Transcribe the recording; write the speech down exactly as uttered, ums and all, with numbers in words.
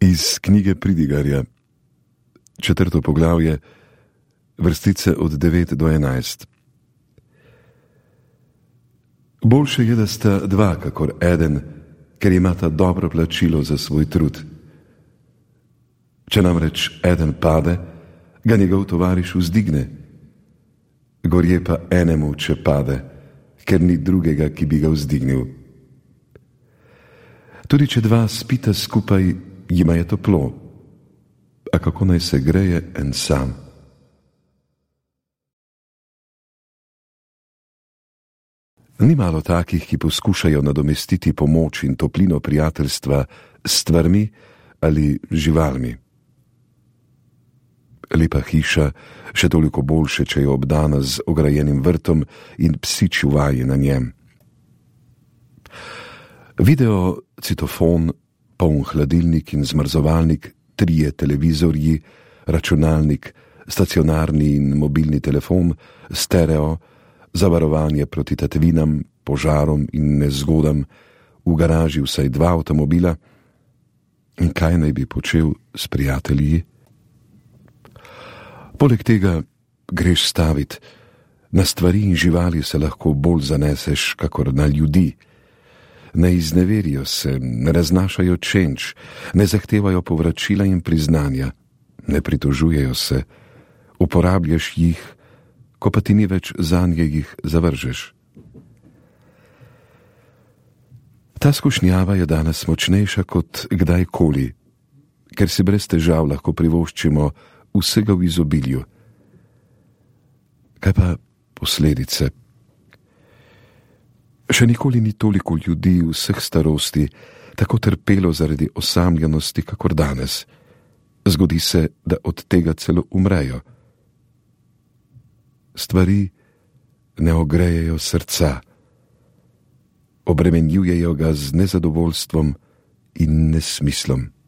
Iz knjige Pridigarja, četrto poglavje, vrstice od devet do enajst. Boljše je, da sta dva, kakor eden, ker imata dobro plačilo za svoj trud. Če namreč eden pade, ga njegov tovariš vzdigne. Gorje pa enemu, če pade, ker ni drugega, ki bi ga vzdignil. Tudi če dva spita skupaj, jima je toplo, a kako naj se greje en sam? Ni malo takih, ki poskušajo nadomestiti pomoč in toplino prijateljstva s stvarmi ali živalmi. Lepa hiša, še toliko boljše, če je obdana z ograjenim vrtom in psi čuvaji na njem. Video, citofon, poln hladilnik in zmrzovalnik, trije televizorji, računalnik, stacionarni in mobilni telefon, stereo, zavarovanje proti tatvinam, požarom in nezgodam, v garaži vsaj dva avtomobila. In kaj naj bi počel s prijatelji? Poleg tega greš stavit, na stvari in živali se lahko bolj zaneseš, kakor na ljudi. Ne izneverijo se, ne raznašajo čenč, ne zahtevajo povračila in priznanja, ne pritožujejo se, uporabljaš jih, ko pa ti ni več zanje, jih zavržeš. Ta skušnjava je danes močnejša kot kdajkoli, ker si brez težav lahko privoščimo vsega v izobilju. Kaj pa posledice? Še nikoli ni toliko ljudi vseh starosti tako trpelo zaradi osamljenosti, kakor danes. Zgodi se, da od tega celo umrejo. Stvari ne ogrejejo srca, obremenjujejo ga z nezadovoljstvom in nesmislom.